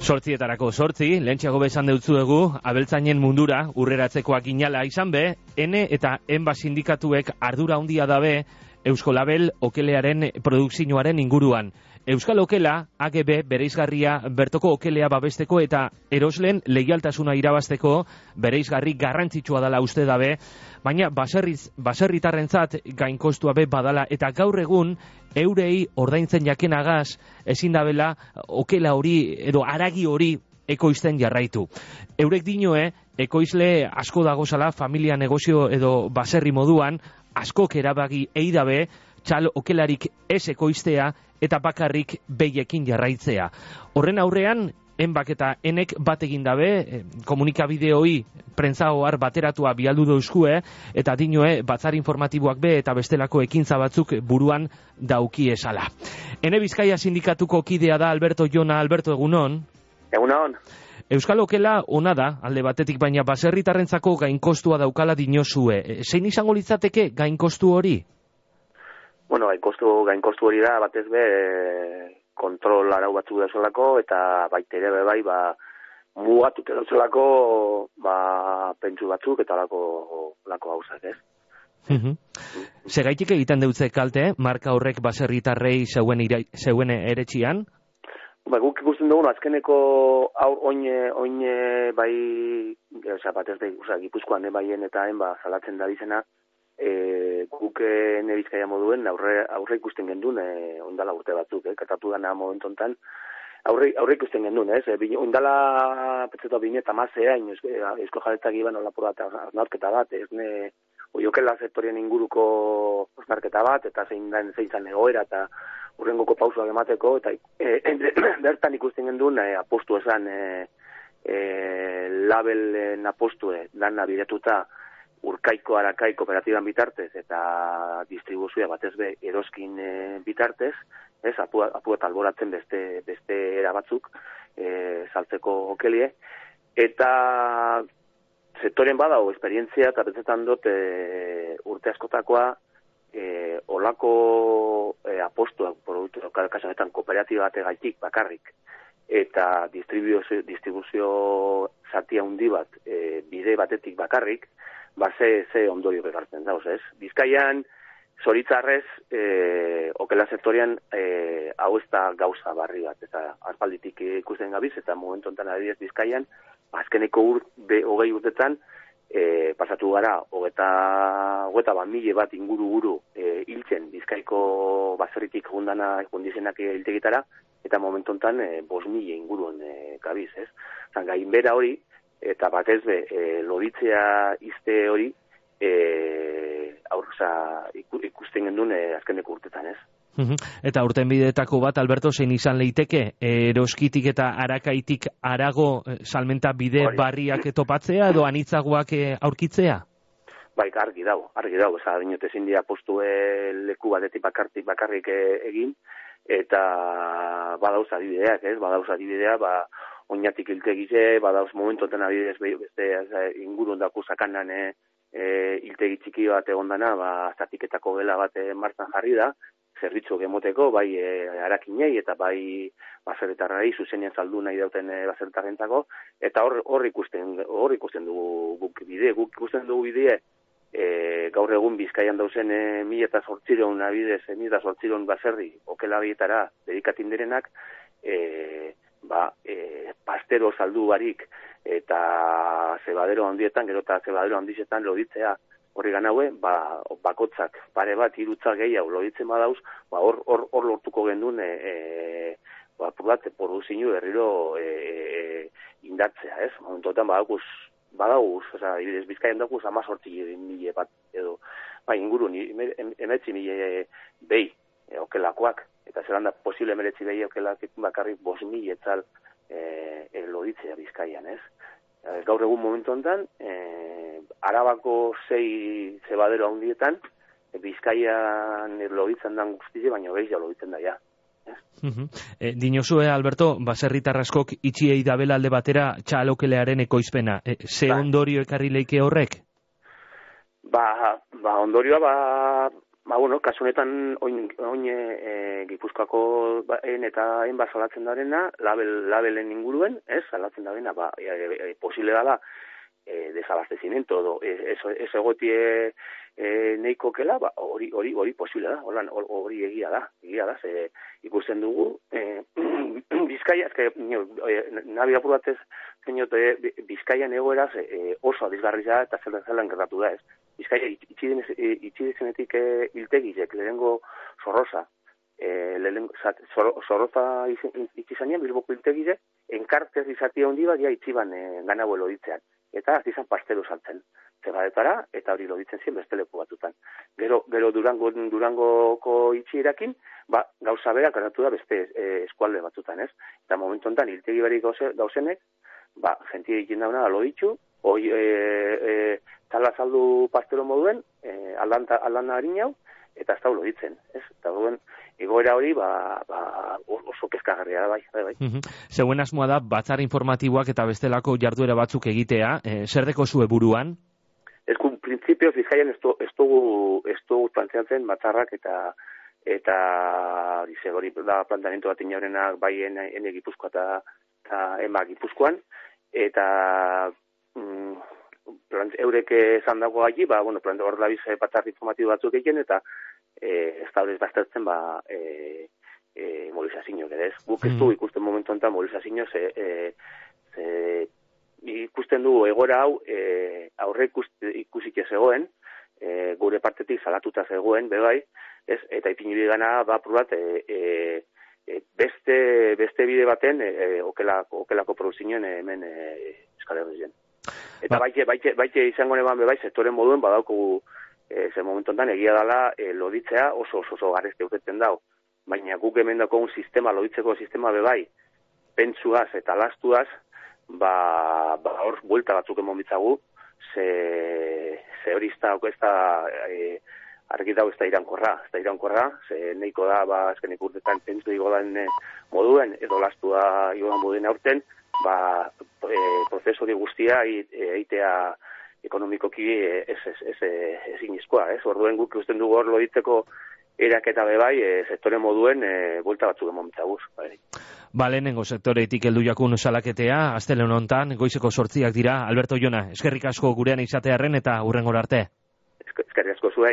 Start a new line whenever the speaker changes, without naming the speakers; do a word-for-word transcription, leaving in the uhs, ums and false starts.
Sortzietarako sortzi, lehentxeago besan deutzuegu, abeltzainen mundura, urreratzekoak inala izan be, ene eta enba sindikatuek ardura handia dabe Eusko Label okelearen produkzioaren inguruan. Euskal Okela, A G B bereizgarria bertoko okelea babesteko eta eroslen leialtasuna irabazteko bereizgarri garrantzitsua dela uste dabe, baina baserriz, baserritarrentzat gainkostua be badala eta gaur egun eurei ordaintzen jakenagaz ezin dabela okela hori edo haragi hori ekoizten jarraitu. Eurek dinoe, ekoizle asko dagozala familia negozio edo baserri moduan, askok erabagi eidabe, txal okelarik ez ekoiztea eta bakarrik behiekin jarraitzea. Horren aurrean, enbak eta enek bat egin dabe, komunikabideoi prentzaoar bateratua bialdu dauzkue, eta dinoe batzar informatiboak be eta bestelako ekintza batzuk buruan dauki esala. Ene Bizkaia sindikatuko kidea da Alberto Jona. Alberto, egunon?
Egunon.
Euskal Okela ona da, alde batetik, baina baserritarrentzako gainkostua daukala dinozue. Zein izango litzateke gainkostu hori?
Bueno, gainkostu, gainkostu hori da, batez be, kontrol arau batzuk dauzelako, eta baita ere bai, ba, mugatute dauzelako, ba, pentsu batzuk, eta lako, lako gauzak, ez?
Uh-huh. Segaitik egiten deutze kalte, marka horrek baserritarrei zeuen, ira, zeuen eretxian?
Ba, guk ikusten dugu, azkeneko aur oine, oine bai, oza, batez da, oza, Gipuzkoan baien eta hain, ba, salatzen da bizena, e, guk ene Bizkaia moduen aurre, aurre ikusten gendun, e, ondala urte batzuk, eh, katatu dana momentu hontan, aurre, aurre ikusten gendun, ez, e, ondala, petzeto, bine eta mazea, eusko jaretzak iban olapur bat, osnarketa bat, ez ne, oiokela sektorien inguruko osnarketa bat, eta zein da, zein zan egoera, eta urrengoko pausoak emateko, eta e, bertan ikusten gendun, e, apostu esan, e, e, labelen apostue, dana bidetuta, urkaiko arakai kooperatiban bitartez, eta distribuzioa batez be eroskin e, bitartez, ez, apu, apu eta alboratzen beste, beste erabatzuk, e, saltzeko okelie, eta sektoren badao esperientzia, eta betzetan dut e, urte askotakoa, E, olako e, apostuak produktu, kasanetan kooperatiba bategaitik bakarrik eta distribuzio, distribuzio zatia handi bat e, bide batetik bakarrik, ba ze, ze ondorio begartzen dauz, ez? Bizkaian, zoritzarrez, e, okela sektorian e, hau ez da gauza barri bat, eta aspalditik ikusten gabiz, eta momentu enten adibidez Bizkaian, azkeneko ur, be, hogei urtetan, E, pasatu gara, hogeta, hogeta bat mile bat inguru-guru e, hiltzen Bizkaiko baserritik jundana jundizenak hiltegitara, eta momentu honetan e, bos mile inguruen e, gabiz, ez? Zan, gainbera hori, eta batez be, e, loditzea izte hori, e, aurza, ikusten gendun e, azkeneko urtetan, ez?
Eta urten bideetako bat, Alberto, zein izan leiteke, eroskitik eta arakaitik arago salmenta bide Hori. barriak topatzea edo anitzagoak aurkitzea?
Bai, argi dago, argi dago, eza dinote zindia postue leku batetik bakartik bakarrik egin, eta badauz adibideak, ez? Badauz adibidea, ba, oinatik hiltegize, badauz momentoten adibidez beste ingurun daku sakanan e, hiltegi txiki bat egondana, ba, zatiketako gela bat martzan jarri da, zerbitzu gemoteko, bai e, arakinei eta bai baserritarrei zuzenean saldu nahi dauten e, baserritarrentzako, eta hor, hor ikusten hor ikusten dugu guk bide, guk ikusten dugu bide, e, gaur egun Bizkaian dauzen e, mila eta zortziron abidez, e, mila eta zortziron baserri okela bietara dedikatin direnak, e, ba, e, pastero saldu barik eta zebadero handietan, gero eta zebadero handizetan loditzea, horri ganaue, ba, bakotzak, pare bat, irutzak gehiago loditzen badauz, ba, hor, hor, hor lortuko gendun, e, e, ba, bat, produzinu berriro e, e, indartzea, ez? Momentotan badaukuz, badauz, oza, ibidez Bizkaian daukuz, ama sortzi mile bat, edo, ba, ingurun, emetzi mile behi, e, okelakoak, eta zelan da, posible emeretzi behi okelak bakarrik bos mile etzal e, e, loditzea Bizkaian, ez? Gaur egun momentu honetan, e, Arabako sei zebadero handietan, e, Bizkaian loditzen dan guztize, baina gehiago loditzen da, ja.
Uh-huh. E, dinozue, Alberto, baserritarraskok itxiei dabela alde batera txalokelearen ekoizpena. E, ze ba. ondorio ekarri leike horrek?
Ba, ba ondorioa, ba, Ba, bueno, kasu honetan, oin, oin e, Gipuzkoako en eta enba salatzen darena, label, labelen inguruen, ez, salatzen darena, ba, e, e, posible dala, e, desabastecimiento, edo, ez, ez egotie e, neiko kela, ba, hori, hori, hori posible da, hori egia da, egia da, ze ikusten dugu, e, Bizkaia, ezke, nabi apur batez, zeniote, Bizkaian egoeraz e, oso adizgarria eta zelan zelan gertatu da, ez. Bizkaia itxidezenetik e, iltegizek, lehenengo Zorroza, e, lehenengo, Zorroza itxizanean, Bilboko iltegizek, enkartez izatia hondi bat, ja itxiban e, ganau eloditzean. Eta azizan pastelo saltzen. Zegadetara, eta hori loditzen zien besteleko batutan. Gero, gero Durango, Durangoko itxierakin, ba, gauza berak gertatu da beste e, eskualde batutan, ez? Eta momentu honetan, iltegi berik gauzenek, ba, jentia ikin dauna, alo ditxu, hoi, e, e, tala saldu pastelo moduen, e, aldana harinau, eta ez da ulo ditzen, ez? Eta duen, egoera hori, ba, ba, oso kezkagarria da, bai, bai, bai.
Uh-huh. Zeuen asmoa da, batzar informatiboak eta bestelako jarduera batzuk egitea, e, zer deko zue buruan?
Ez kun, printzipioz, Bizkaian ez dugu plantzeatzen batzarrak eta eta hori da planteamendu bat inaurenak bai ene Gipuzkoa eta, eta ema Gipuzkoan, eta mm, plant, eurek esan dago gai, ba, bueno, hor dabiz batzar informatibo batzuk egin, eta e, ez da horrez baztertzen, ba, e, e, mobilizazioak, ere ez. Guk ez du ikusten momentu honetan mobilizazioak, ze, e, ze ikusten du egoera hau e, aurre ikusik ez egoen, e, gure partetik salatuta zegoen, bebai, ez, eta ipinibide gana ba probat e, e, beste, beste bide baten e, okelako, okelako produzioen hemen e, eskale horrezen. Eta ba. baite, baite, baite izango neban bebai, sektoren moduen badauko e, ze momentu honetan egia dela e, loditzea oso oso, oso garezte urtetzen dau. Baina guk hemen dako un sistema, loditzeko sistema bebai, pentsuaz eta lastuaz, ba, ba hor buelta batzuk emon bitzagu, ze, ze hori ez da, ez da e, argi dago ez da irankorra, ez da irankorra, ze neiko da, ba, azkenik urtetan pentsu igodan e, moduen, edo lastua igodan moduen aurten, ba, e, prozesori guztia eitea ekonomikoki ez, ez, ez, ez inizkoa, ez? Orduen guk usten dugu hor loditzeko eraketa bebai, e, sektore moduen e, buelta batzuk emon bitzaguz, bai.
Ba, lehenengo sektoretik heldu jakun salaketea, astelen hontan, goizeko sortziak dira. Alberto Jona, eskerrik asko gurean izatearren eta hurrengora arte.
Eskerrik asko zuei.